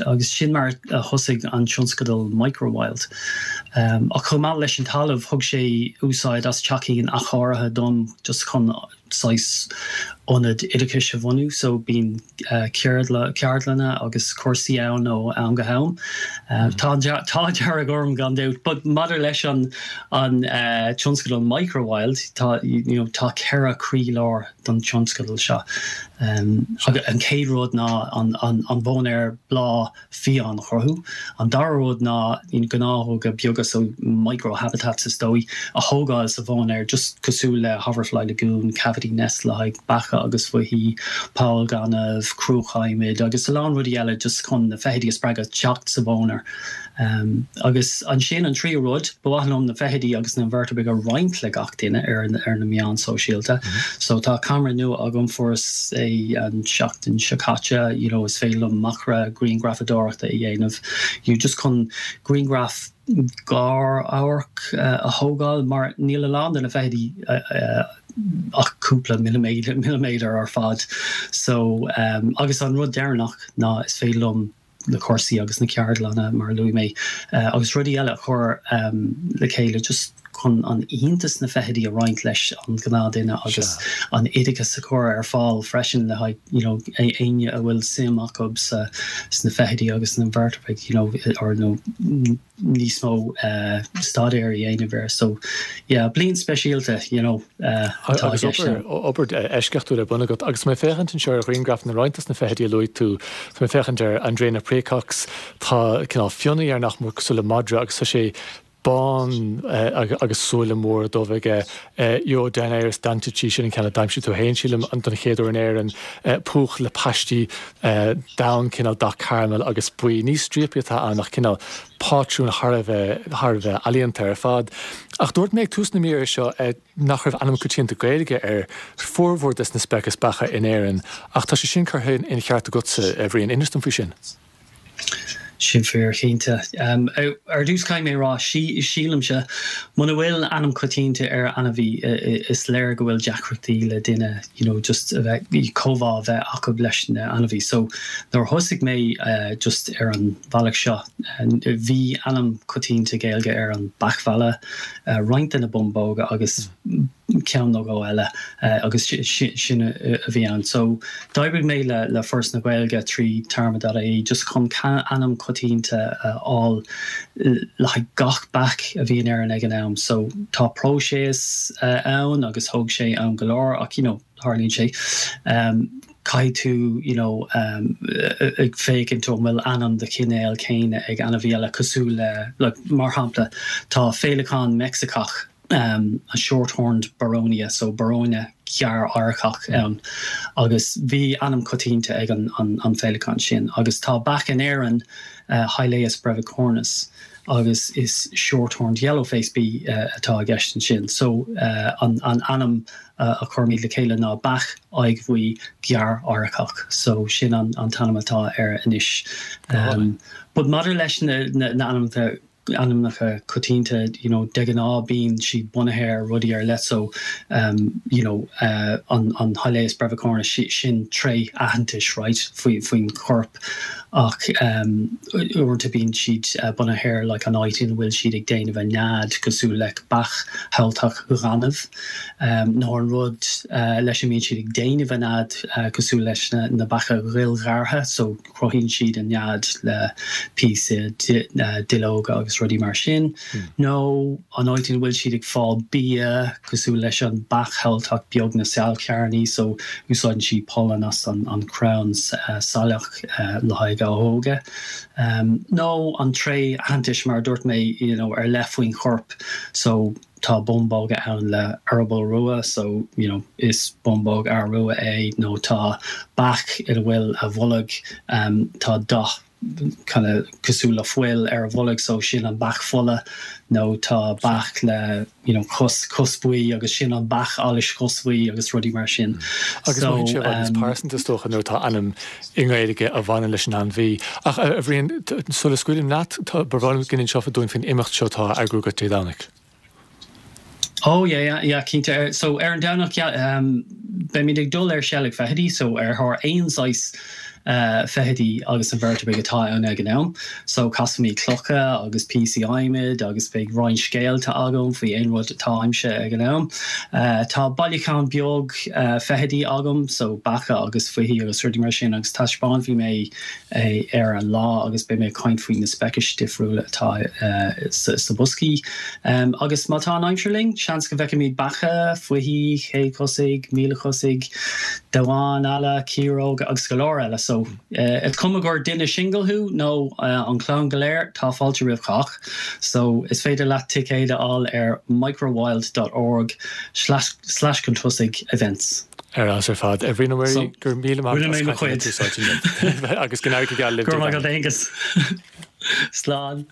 agus sin mar a thosaigh an tionscadal Microwild. Ach chomh maith leis an talamh, thug sé úsáid as teachín athchóirithe dom just chun saghas ionad oideachais a bhunú so bíonn ceardlanna agus cúrsaí ann ó am go ham. Tá an t-ádh dearg orm gan dabht but maidir leis an an tionscadal Microwild tá you know tá 4 croílár don tionscadal seo. An chéad rud ná an móinéar bláth fiáin a chruthú. An dara rud ná gnáthóga beaga, so micro-habitats is dóigh, a thógáil sa mhóinéar, just cosúil le hoverfly lagoon, cavity nest le haghaidh beacha agus foichí, poll gainimh, cruach adhmaid agus a lán rudaí eile just chun na feithidí a spreagadh teacht sa mhóinéar. Agus ansin an tríú rud, ba mhaith liom na feithidí agus na inveirteabraigh a roinnt le gach duine ar na meáin sóisialta. So tá camera nua agam, fuaireas é an tseachtain seo caite, you know is féidir liom macra-ghrianghrafadóireachta a dhéanamh, you know just chun grianghraf gar-amhairc a thógáil mar níl a lán de na feithidí ach cúpla milliméadar ar fad. So agus an rud deireanach ná is féidir liom na cúrsaí agus na ceardlanna, mar a luaigh mé, agus rudaí eile a chur le chéile just chun an iontas na feithidí a roinnt leis an ghnáthduine agus an oideachas a chur ar fáil freisin le haghaidh you know éinne a bhfuil suim acu sa sna feithidí agus sna inveirteabraigh you know or nó níos mó staidéir a dhéanamh air. So yeah, bliain speisialta, you know,
atá i gceist ann. Agus obair eisceachtúil ar bun agat. Agus mé ag féachaint anseo ar ghrianghraif na roinnt dos na feithidí a luaigh tú, tá mé ag féachaint ar Andrena praecox, tá cineál fionnaidh air nach mór cosúil le madra agus tá sé bán agus súile móra dubha aige. Euodynerus dentici, sin an ceann a d'aimsigh tú féin, sílim, don chéad uair in Éirinn. Púch le paistí donn, cineál dath caramail agus buí. Ní stríopaí atá ann ach cineál pátrún thar a bheith, thar a bheith ealaíonta ar fad. Ach dúirt mé ag tús na míre seo nach raibh ainm coitianta Gaeilge ar formhór des na speicis beacha in Éirinn ach tá sé sin curtha ina cheart agatsa, a Bhriain. Inis dom faoi sin.
Sin fíor, cinnte. Ar dtús caithfidh mé a rá, sílimse, muna bhfuil ainm coitianta ar ainmhí, is léir go bhfuil deacrachtaí le duine you know just a bheith, comhbhá a bheith acu leis na ainmhí. So nuair a thosaigh mé just ar an bhealach seo, bhí ainm coitianta Gaeilge ar an beach mheala, roinnt de na bumbóga agus, ceann nó dhó eile agus sin a bhí ann. So d'oibrigh mé le Foras na Gaeilge trí téarma.ie just chun ainm coitianta a fháil le haghaidh gach beach a bhí in Éirinn ag an am. So tá próiseas ann agus thóg sé am go leor ach you know tarlaíonn sé. Caithfidh tú you know ag féachaint an bhfuil ainm de chinéal céanna ag ainmhí eile cosúil le like mar shampla tá féileacán Meicsiceach an short-horned boronia, so boróine ghearr-adharcach ann agus bhí ainm coitianta ag an an féileacán sin agus tá beach in Éirinn, Hylaeus brevicornis, agus is short-horned yellow-faced bee atá i gceist ansin. So an an ainm a chuirimid le chéile ná beach aghaidh bhuí ghearr-adharcach, so sin an an t-ainm atá air anois. But maidir leis na na ainmneacha ainmneacha coitianta, you know, de ghnáth bíonn siad bunaithe ar rudaí ar leith so you know an an Hylaeus brevicornis sin tréith aitheantais right faoi faoin chorp ach uaireanta bíonn siad bunaithe ar like an áit ina bhfuil siad ag déanamh a nead cosúil le beach shamhaltach ghainimh nó an rud leis a mbíonn siad ag déanamh a nead cosúil leis na na beacha dhuillghearrtha so cruthaíonn siad a nead le píosa duilleoga agus. agus rudaí mar sin, nó an áit ina bhfuil siad ag fáil bia, cosúil leis an beach shamhailteach beag na sailchearnaí, so úsáideann sí pollan as an chrann saileach le haghaidh a óga. Nó an tréith aitheantais, mar a dúirt mé, you know ar leith faoin chorp, so tá bumbóga ann le eireaball rua, so you know is bumbóg fhear rua é, nó tá beach ina bhfuil a bholg, tá dath kind of cosúil le fuil ar a bholg so sin an beach fola nó tá beach le you know cos cos buí agus sin an beach allais chosbhuí agus rudaí mar sin.
Agus So mothaíonn sé i bhfad níos pearsanta is dócha nuair atá ainm i nGaeilge a bhaineann leis an ainmhí. Ach a Bhriain, sula scaoilim leat, ba bhreá liom go n-inseofá dúinn faoin imeacht seo atá á eagrú agat Dé Domhnaigh.
Oh yeah yeah yeah cinnte. So ar an Domhnach yeah um beimid ag dul ar seilg feithidí so ar thóir aon saghas uh feithidí agus inveirteabraigh atá ann ag an am. So casfaimid clocha agus píosaí adhmaid agus beidh roinnt scéalta agam faoi aon rud atá aimsithe ag an am. Uh tá bailiúchán beag uh feithidí agam so beacha agus foichí agus rudaí mar sin agus taispeánfaidh mé é ar an lá agus beidh mé ag caint faoi na speicis difriúla atá sa boscaí. Agus má tá an aimsir linn, seans go bhfeicfimid beacha, foichí, céadchosaigh, mílechosaigh, damháin alla, ciaróga agus go leor eile. So, is cuma gur duine singil thú nó an chlann go léir, tá fáilte roimh chách. So, is féidir leat ticéid a fháil ar microwild dot org slash chun tosaigh events.
Ar fheabhas ar fad. A Bhriain Ó Muirí, go raibh míle maith agat as caint linn Tús Áite inniu. Agus go n-éirí go geal libh
Dé Domhnaigh. Go raibh maith agat Aengus. Slán.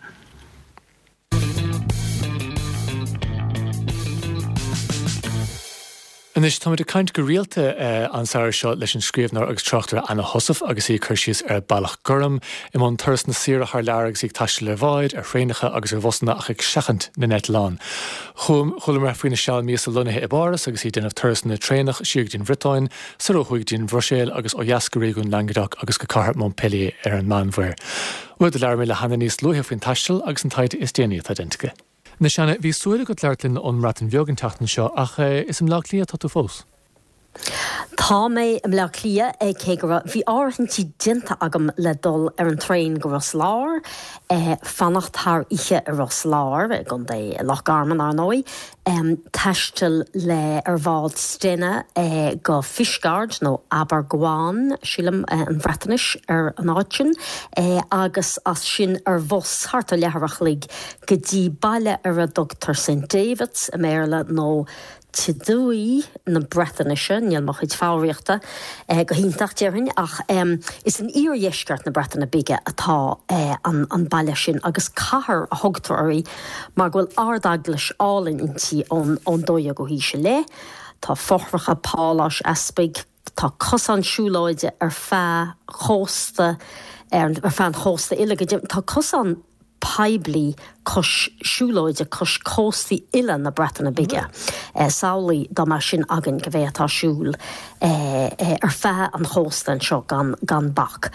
Anois, táimid ag caint go rialta an samhradh seo leis an scríbhneoir agus tráchtaire Anna Heussaff agus í ag cur síos ar Bealach Gorm, i mbun turasanna saoire thar lear agus í ag taisteal ar bháid, ar thraenacha agus ar bhusanna ach ag seachaint na n-eitleán. Chualamar faoina seal míosa lonnaithe i bPáras agus í ag déanamh turasanna traenach siar go dtí an Bhriotáin, soir ó thuaidh go dtí an Bhruiséil agus ó dheas go réigiún Languedoc agus go cathair Montpellier ar an Meánmhuir. Bhuel, do labhair mé le hAnna níos luaithe faoin taisteal agus an taighde is déanaí atá déanta aici. Anois Anna, bhí súil agat labhairt linn ón mBreatain Bheag an tseachtain seo ach is i mBleá Cliath atá tú fós.
Tá mé i mBleá Cliath, cé go raibh, bhí áirithintí déanta agam le dul ar an traein go Ros Láir, fanacht thar oíche i Ros Láir, i gContae Loch Garman, ar ndóigh, taisteal le, ar bhád Stena go Fishguard, nó Abergwaun, sílim, an Bhreatnais ar an áit sin, agus as sin ar bhus, thart ar leathuair a chloig, go dtí baile ar a dtugtar St Davids i mBéarla nó Tyddewi na Breatnaise, níl mo chuid foghraíochta go hiontach, déarfainn, ach is in iardheisceart na Breataine Bige atá an baile sin agus cathair a thugtar uirthi mar go bhfuil ardeaglais álainn inti ón 12ú haois i leith. Tá fothracha páláis easpaig, tá cosán siúlóide ar feadh chósta, ar feadh an chósta uile go deimhin, tá cosán poiblí cois siúlóide cois cóstaí uile na Breataine Bige. Samhlaigh dá mbeadh sin againn go bhféadfá siúl ar feadh an chósta anseo gan gan bac.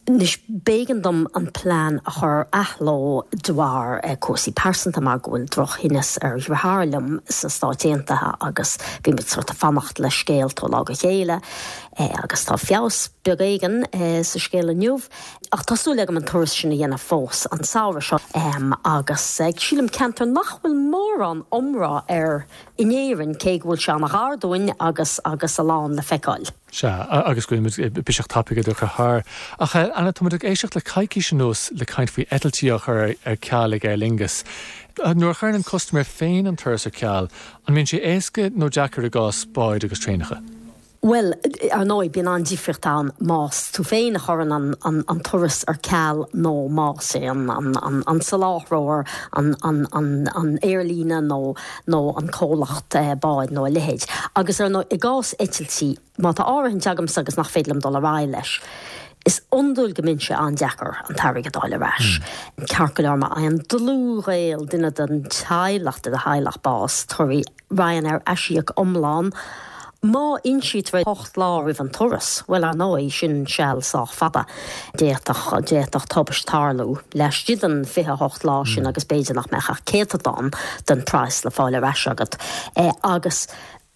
Anois b'éigean dom an plean a chur ar athló de bharr cúrsaí pearsanta mar go bhfuil drochthinneas ar dheartháir liom sna Stáit Aontaithe agus bhí muid sort ag fanacht le scéalta ó lá go chéile agus tá feabhas beag éigin sa scéal inniu. Ach tá súil agam an turas sin a dhéanamh fós an samhradh seo agus sílim ceantar nach bhfuil mórán iomrá air in Éirinn cé go bhfuil sé an-ghar dúinn agus agus a lán le feiceáil.
Sea, agus go bhfuil muid biseach tapaidh idir thar. Ach Anna, tá muid ag éisteacht le coicís anuas le caint faoi eitiltí á chur ar ceal ag Aer Lingus. Nuair a chuireann an custaiméir féin an turas ar ceal, an mbíonn sé éasca nó deacair i gcás báid agus traenacha?
Bhuel, ar ndóigh, bíonn an-difríocht ann más tú féin a chuireann an turas ar ceal nó más é an soláthróir, an aerlíne nó an comhlacht báid nó a leithéid. Agus ar ndóigh, i gcás eitiltí, má tá áirithint agamsa agus nach féidir liom dul ar aghaidh leis, is iondúil go mbíonn sé an-deacair an t-airgead a fháil ar ais. Ceart go leor, má fhaigheann dlúthghaol, duine den teaghlach, de do theaghlach bás, tabharfaidh Ryanair aisíoc iomlán má insítear é 8 lá roimh an turas. Bhuel, ar ndóigh, sin seal sách fada. D'fhéadfadh, d'fhéadfadh tubaist tarlú laistigh den 28 lá sin agus b'fhéidir nach mbeadh ach céatadán den praghas le fáil ar ais agat. Agus,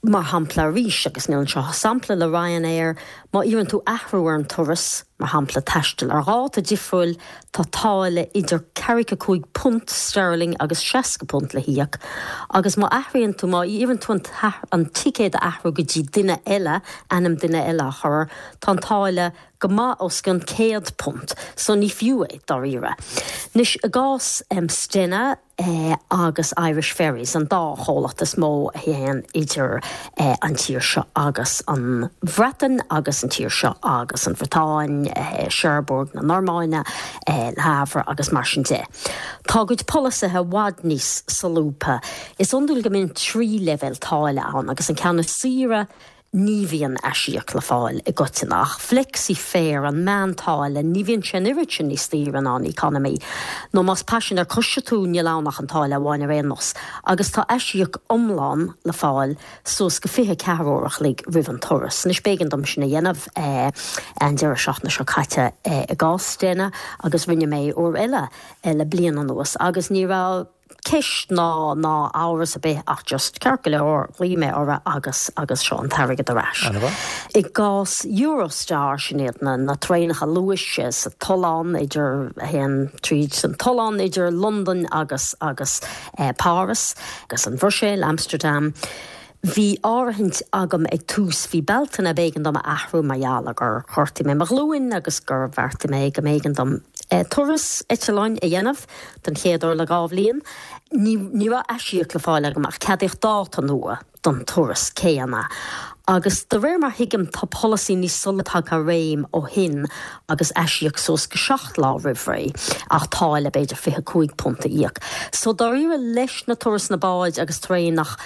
mar shampla arís, agus níl anseo ach sampla le Ryanair, má iarrann tú athrú ar an turas, Mar shampla, taisteal ar dháta difriúil, tá táille idir ceathracha 5 punt sterling agus 60 punt le híoc, agus má athraíonn tú, má iarrann tú an ticéad a athrú go dtí duine eile, ainm duine eile a chur air, tá an táille go maith os cionn £100, so ní fiú é, dáiríre. Anois, i gcás Stena, agus Irish Ferries, an dá chomhlacht is mó a théann idir an tír seo agus an Bhreatain agus an tír seo agus an Bhriotáin, Cherbourg na Normainne, Le Havre agus mar sin de. Tá a gcuid polasaithe i bhfad níos solúbtha. Is iondúil go mbíonn 3 leibhéal táille ann agus an ceann is saoire, Ní bhíonn aisíoc le fáil i gcoitinne ach Flexi Fare, an meántáille, ní bhíonn sé an oiread sin níos daoire ná an Economy. Nó más paisinéir coise tú, níl ann ach an táille amháin ar aon nós. Agus tá aisíoc iomlán le fáil suas go 24 uair a chloig roimh an turas. Anois b'éigean dom sin a dhéanamh an deireadh seachtaine seo caite i gcás Stena agus rinne mé uair eile le bliain anuas agus ní raibh ceist ná ná amhras ar bith ach just ceart go leor, ghlaoigh mé orthu agus agus seo an t-airgead ar ais. I gcás Eurostar, sin iad na na traenacha luais sa tollán idir a théann tríd an tollán idir Londain agus agus Páras agus an Bhruiséil, Amsterdam. Bhí áirithint agam ag tús mhí Bealtaine, b'éigean dom a athrú mar gheall ar gur ghortaigh mé mo ghlúin agus gur bheartaigh mé go mb'éigean dom turas eitleáin a dhéanamh den chéad uair le 2 bhliain. Ní ní raibh aisíoc le fáil agam ach ceadaíodh dáta nua don turas céanna. Agus de réir mar thuigim tá polasaí níos solúbtha tagtha i réim ó shin agus aisíoc suas go 7 lá roimh ré ach táille b'fhéidir £25 a íoc. So dáiríre leis na turasanna báid agus traenach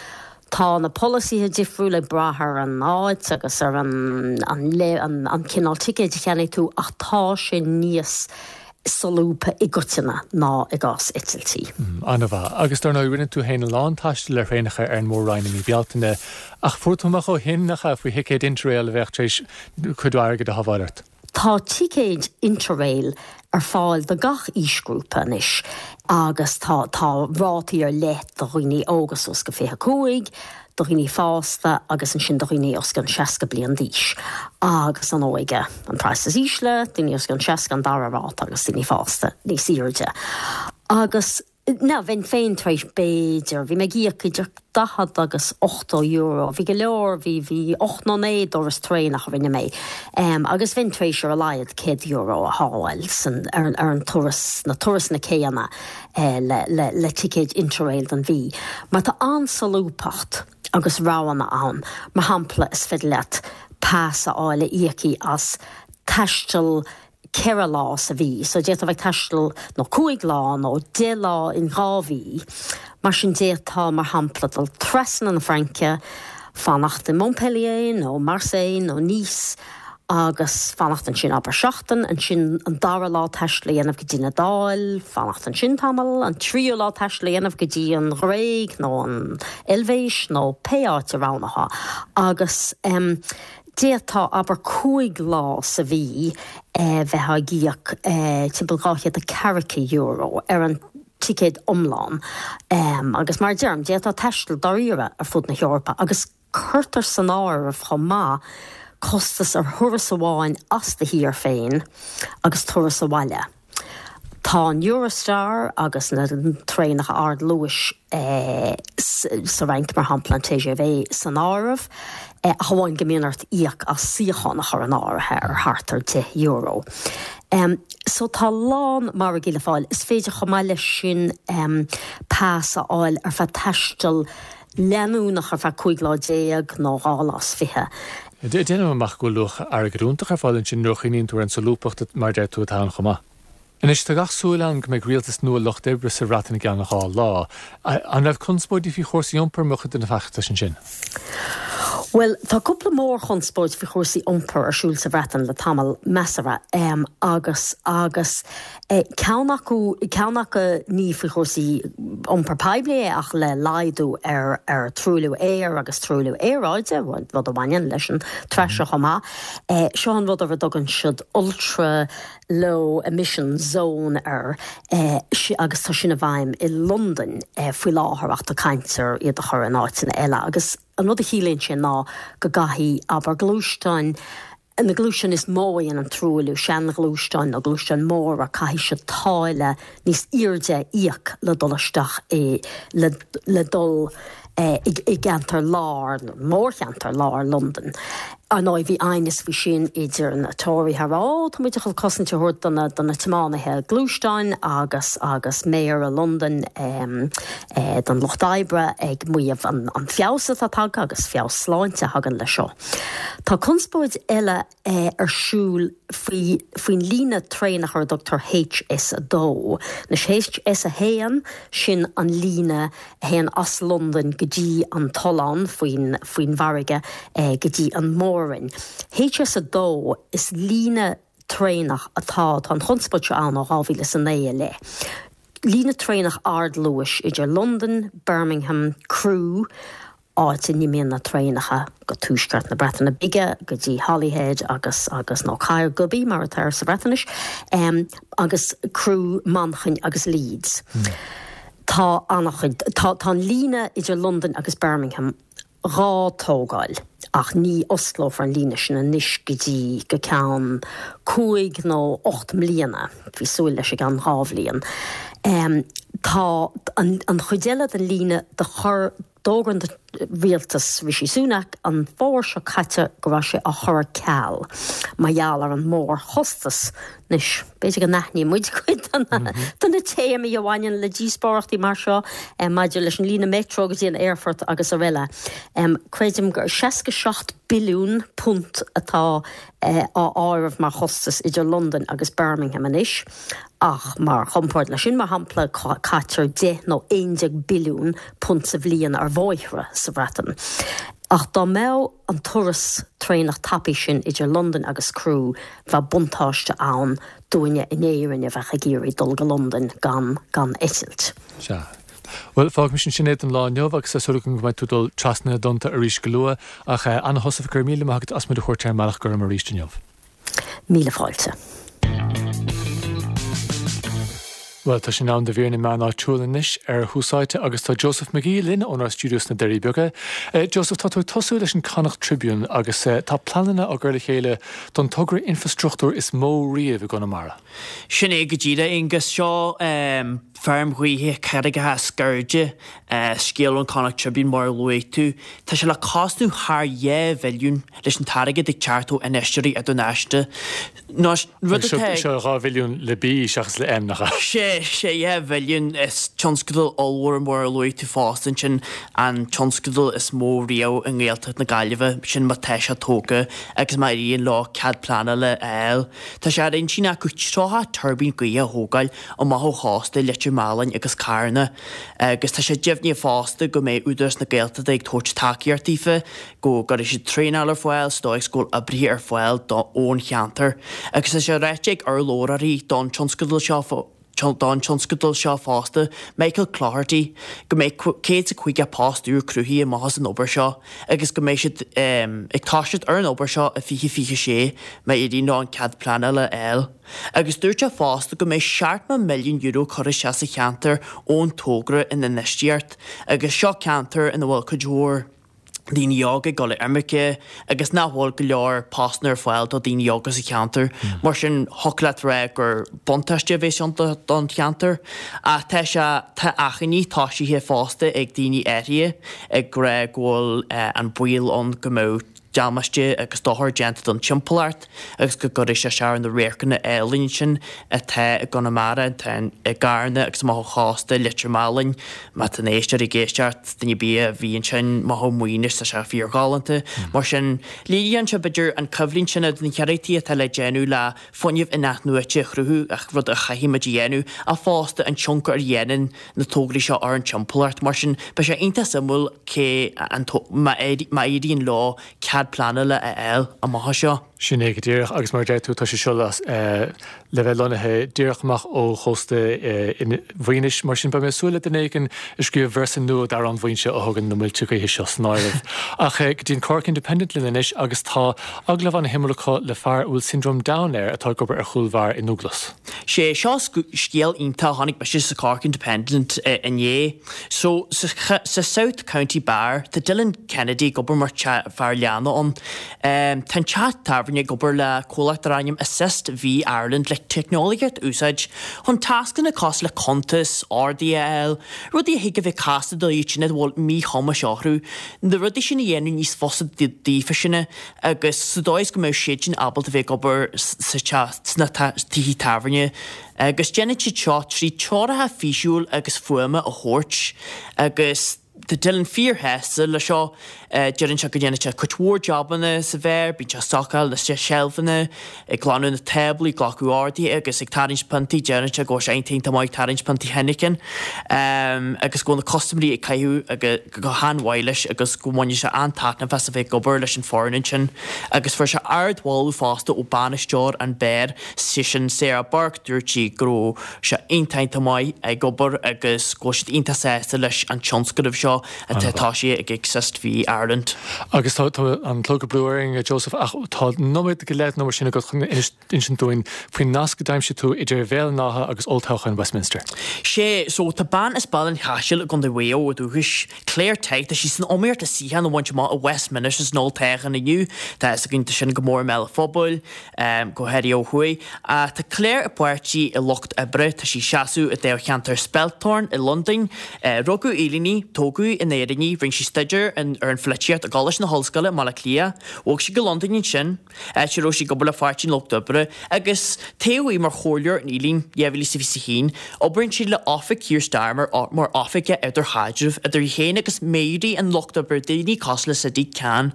Tá na polasaithe difriúil ag brath ar an áit agus ar an an cineál ticéid a cheannaigh tú ach tá sé níos solúbtha i gcoitinne ná i gcás eitiltí.
An-mhaith. Agus dar ndóigh rinne tú féin a lán taistil ar thraenacha ar an Mór-Roinn i mí Bealtaine ach fuair tú amach ó shin, nach ea, faoi thicéid Interrail a bheadh tar éis cuid mhaith airgid a shábháil ort.
Tá ticéid Interrail ar fáil do gach aoisghrúpa anois agus tá tá rátaí ar leith do dhaoine óga suas go 25, do dhaoine fásta agus ansin do dhaoine os cionn 60 bliain d'aois. Agus an óige an praghas is ísle, daoine os cionn 60 an dara ráta agus daoine fásta níos airde. Agus. Now, bheinn féin tar éis, b'fhéidir, bhí mé ag íoc idir 40 agus 80 euro, bhí go leor, bhí, bhí 8 nó 9 dturas traenach a rinne mé, agus bheinn tar éis ar a laghad 100 euro a shábháil san, ar, ar an turas, na turasanna céanna le, le, le ticéid Interrail don mhí. Mar tá an-solúbthacht agus roghanna ann. Mar shampla, is féidir leat pas a fháil a íocfaidh as taisteal 4 lá sa mhí, so d'fhéadfá bheith ag taisteal nó 5 lá nó 10 lá in 2 mhí. Mar sin d'fhéadfá, mar shampla, dul trasna na Fraince, fanacht i Montpellier nó Marseille nó Nice agus fanacht ansin abair seachtain, ansin an dara lá taisteal a dhéanamh go dtí an Iodáil, fanacht ansin tamall, an tríú lá taisteal a dhéanamh go dtí an Ghréig nó an Eilvéis nó pé áit a roghnófá agus em. D'fhéadfá, abair, 5 lá sa mhí bheith ag íoc timpeall €240 ar an ticéad iomlán agus mar a deirim, d'fhéadfá taisteal dáiríre ar fud na hEorpa agus cuirtear san áireamh chomh maith costas ar thuras amháin as do thír féin agus turas abhaile. Tá an Eurostar agus na traenacha ardluais sa Fhrainc, mar shampla an TGV, san áireamh, ach amháin go mbíonn ort íoc as suíochán a chur in áirithe ar thart ar €10. So tá a lán margaí le fáil. Is féidir chomh maith leis sin pas a fháil ar feadh taisteal leanúnach ar feadh 15 lá nó 2 lá is fiche.
Déanaim amach go bhfuil luach airgid iontach ar fáil ansin nuair a chuimhníonn tú ar an solúbthacht, mar a deir tú, atá ann chomh maith. Anois, tá gach súil ann go mbeidh rialtas nua Lucht Oibre sa Bhreatain i gceann 2 lá. An raibh conspóidí faoi chúrsaí iompair mar chuid de na feachtais ansin?
Bhuel, tá cúpla mórchonspóid faoi chúrsaí iompair ar siúl sa Bhreatain le tamall measartha agus agus Ceann acu, ceann acu ní faoi chúrsaí iompar poiblí é ach le laghdú ar ar truailliú aeir agus truailliú aeráide, rud a bhaineann leis an tráth seo chomh maith. Seo an rud ar a dtugann siad ultra low emission zone air agus tá sin i bhfeidhm i Londain faoi láthair ach tá caint ar iad a chur in áiteanna eile agus an rud a chiallaíonn sé ná go gcaithfidh, abair, gluaisteáin. Na gluaisteáin is mó a dhéanann truailliú, seanghluaisteáin nó gluaisteáin mhóra, caithfidh siad táille níos airde a íoc le dul isteach i, le, le dul i gceantar lár, mórcheantar lár Londain. Ar ndóigh, bhí aighneas faoi sin idir na Tóraithe a rá, ó, tá muid ag dul cosaint a thabhairt do na, do na tiománaithe gluaisteáin agus, agus Méara Londain don Lucht Oibre ag maíomh an, an feabhas atá tagtha agus feabhas sláinte a thagann leis seo. Tá conspóid eile ar siúl faoi faoin líne traenach ar a dtugtar HS2. Anois HS1, sin an líne a théann as Londain go dtí an tollán faoin faoin bhfarraige go dtí an Mór-Roinn. HS2, is líne traenach atá, tá an chonspóid seo ann ó 2009 i leith. Líne traenach ardluais idir Londain, Birmingham, Crewe, áit a n-imíonn na traenacha go tuaisceart na Breataine Bige, go dtí Holyhead agus, agus, nó Caergybi mar atá air sa Bhreatnais, agus Crewe, Manchain agus Leeds. Tá an-chuid, tá, tá an líne idir Londain agus Birmingham dhá tógáil ach ní osclófar an líne sin anois go dtí go ceann cúig nó 8 mbliana, bhí súil leis i gceann 2 bhliain. Tá an, an chuid eile den líne do chur, D'fhógair an rialtas Rishi Sunak an fómhar seo caite go raibh sé á chur ar ceal mar gheall ar an mórchostas. Anois, b'fhéidir go n-aithníonn muid cuid de na téamaí a bhaineann le díospóireachtaí mar seo maidir leis an líne meitreo go dtí an aerfort agus araile. Creidim gur 67 billiún punt atá á áireamh mar chostas idir Londain agus Birmingham anois, ach mar chomparáid leis sin, mar shampla, caitear 10 nó 11 billiún punt sa bhliain ar bhóithre sa Bhreatain. Ach dá mbeadh an turas traenach tapaidh sin idir Londain agus Crewe, bheadh buntáiste ann dúinne in Éirinn a bheadh ag iarraidh dul go Londain gan gan eitilt.
Sea. Bhuel, fágaimis ansin é don lá inniu agus tá súil agam go mbeidh tú ag dul trasna na dtonnta arís go luath. Ach Anna Heussaff, go raibh míle maith agat as muid a thabhairt ar an mBealach Gorm arís inniu.
Míle fáilte.
Bhuel, tá sé in am do mhír na meán áitiúil anois ar Thús Áite agus tá Joseph McGee linn ónár stiúideo sna Doirí Beaga. Joseph, tá tú ag tosú leis an Connacht Tribune agus tá pleananna á gcur le chéile don togra infreastruchtúir is mó riamh i gConamara.
Sin é go díreach, Aonghus. Seo feirm ghaoithe Carraigeacha Sceirde, scéal ón Connacht Tribune mar a luaigh tú. Tá sé le cosnú thar 2 bhilliún leis an t-airgead ag teacht ó infheisteoirí idirnáisiúnta.
Anois, rud atá ag. Seo 2 bhilliún le B seachas le M, nach
ea? Sé, sé, 2 bhilliún. Is tionscadal ollmhór mar a luaigh tú fosta ansin, an tionscadal is mó riamh i nGaeltacht na Gaillimhe, sin má tá sé tógtha agus má éiríonn leo cead pleanála a fháil. Tá sé ar intinn acu 30 tuirbín gaoithe a thógáil amach ó chósta Leitir Mealláin agus Carna agus tá sé deimhnithe fosta go mbeidh Údarás na Gaeltachta ag tabhairt tacaíocht daofa, go gcuirfidh siad traenáil ar fáil sa dóigh is go bhfuil oibrithe ar fáil ón cheantar. Agus tá sé ráite ag urlabhraí don tionscadal seo, don tionscadal seo fosta, Michael Cloherty, go mbeidh 150 post úr cruthaithe amach as an obair seo agus go mbeidh siad ag toiseacht ar an obair seo i 2026 má éiríonn leo an cead pleanála a fháil. Agus dúirt sé fosta go mbeidh €70 milliún curtha isteach sa cheantar ón togra in infheistíocht agus seo ceantar ina bhfuil cuid mhór daoine óga ag dul ar imirce agus nach bhfuil go leor postanna ar fáil do daoine óga sa cheantar. Mar sin, thiocfadh leat rá gur buntáiste a bheas ann don cheantar. Ach tá sé, tá achainí toisithe fosta ag daoine áirithe ag rá go bhfuil an baol ann go mbeadh damáiste agus dochar déanta don timpeallacht agus go gcuirfidh sé isteach ar na radharcanna álainn sin atá i gConamara, atá i gCarna agus amach ó chósta Leitir Mealláin. Má tá na éisteoirí ag éisteacht, duine ar bith a bhí ansin amach ó Mhaoinis, tá sé fíorghalánta. Mar sin, léiríonn sé, b'fhéidir, an coimhlint sin idir na hiarrachtaí atá le déanamh le fuinneamh in-athnuaite a chruthú, rud a chaithfidh muid a dhéanamh, ach fosta an tionchar a dhéanann na tograí seo ar an timpeallacht. Mar sin, beidh sé iontach suimiúil cé an má éiríonn leo cead pleanála a fháil amach anseo.
Sin é go díreach, agus mar a deir tú, tá sé seo le bheith lonnaithe díreach amach ó chósta Mhaoinis, mar sin beidh mé ag súil le duine éigin ag scríobh véarsa nua d'Amhrán Mhaínse a thugann na muilte gaoithe seo san áireamh. Ach go dtí an Cork Independent linn anois agus tá agallamh ana-shuimiúil acu le fear a bhfuil Syndrome Down air atá ag obair ar chúl bheár i nDúglas.
Sé seo scéal iontach a chonaic mise sa Cork Independent inné. So, sa South County Bar, tá Dylan Kennedy ag obair mar fear leanna ann. Tá an teach tábhairne. tábhairne ag obair le comhlacht dar ainm Assist Vee Ireland le teicneolaíocht a úsáid chun tascanna cosúil le cuntais, orduithe a fháil, rudaí a thig a bheith casta do iad sin a bhfuil míchumais orthu, na rudaí sin a dhéanamh níos fusa daofa sin agus sa dóigh is go mbeadh siad sin ábalta bheith ag obair sa teach, sna tithe tábhairne. Agus déanann siad seo trí treoracha físiúil agus fuaime a thabhairt agus tá Dylan fíorshásta le seo. Deireann sé go ndéanann sé cuid mhór jabanna sa bheár, bíonn sé ag stocáil na seilfeanna, ag glanadh na táblaí, ag glacadh orduithe agus ag tarraingt piontaí. Deireann sé go bhfuil sé iontach iontach maith ag tarraingt piontaí Heineken agus go bhfuil na custaiméirí ag caitheamh go han-mhaith leis agus go mbaineann sé an-taitneamh as a bheith ag obair leis an foireann ansin. Agus fuair sé ardmholadh fosta ó bainisteoir an beáir, sé sin Sarah Burke, dúirt sí go raibh sé iontach iontach maith ag obair agus go bhfuil siad iontach sásta leis an tionscnamh seo atá tosaithe ag Assist Vee Ireland.
Agus tá an clog ag brú orainn, a Joseph, ach tá nóiméad go leith nó mar sin agat chun insint dúinn faoin nasc a d'aimsigh tú idir Bhéal an Átha agus olltoghchán Westminster.
Sea, so tá bean as Baile an Chaisil i gContae Mhaigh Eo ó dhúchas, Claire Tighe, tá sí san iomaíocht le suíochán a bhaint amach i Westminster san olltoghchán inniu. Tá a fhios againn, tá sin go mór i mbéal an phobail. go háirithe ó thuaidh. Tá Claire i bpáirtí an Lucht Oibre, tá sí ag seasamh i dtoghcheantar Spelthorne i Londain. Rugadh i Éirinn í, tógadh in Éirinn í, rinne sí staidéar ar an pholaitíocht i gColáiste na hOllscoile i mBaile Átha Cliath. Bhog sí go Londain ansin, áit a raibh sí ag obair le Pháirtí an Lucht Oibre, agus toghadh í mar chomhairleoir in Ealing 2021. Oibríonn sí le Oifig Keir Starmer mar oifigeach idirchaidrimh idir í féin agus méaraí an Lucht Oibre, daoine cosúil le Sadiq Khan.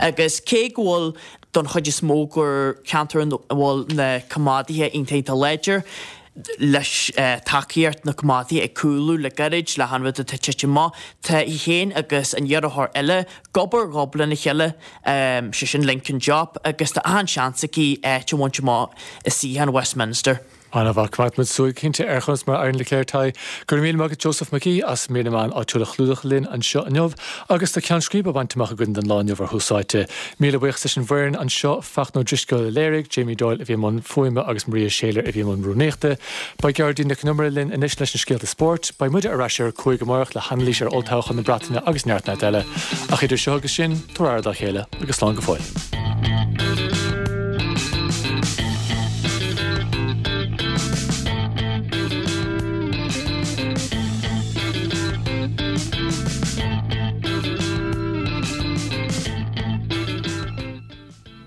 Agus cé go bhfuil don chuid is mó gur ceantar ina bhfuil na coimeádaithe iontach iontach láidir, leis tacaíocht na coimeádaithe ag cúlú le gairid le han rud atá ag titim amach. Tá í féin agus an iarrthóir eile ag obair gob lena chéile, sé sin Lincoln Diop, agus tá achan seans aici áit a bhaint amach i suíochán Westminster.
An-mhaith. Coimeádfaidh muid súil cinnte ar chonas mar a éiríonn le Claire Tighe. Go raibh míle maith agat Joseph Mac Aoidh as mír na meán áitiúil a chlúdach linn anseo inniu. Agus tá ceann scríbe bainte amach againn don lá inniu ar Thús Áite. Míle buíochas leis an bhfoireann anseo, Fachtna Ó Drisceoil a léirigh, Jamie Doyle a bhí i mbun fuaime agus Maria Shayler a bhí i mbun rúnaíochta. Beidh Gearóidín Nic Con Iomaire linn anois leis na scéalta spóirt. Beidh muide ar ais ar a 5 amárach le hanailís ar olltoghchán na Breataine agus neart neart eile. Ach idir seo agus sin, tabhair aire dá chéile agus slán go fóill.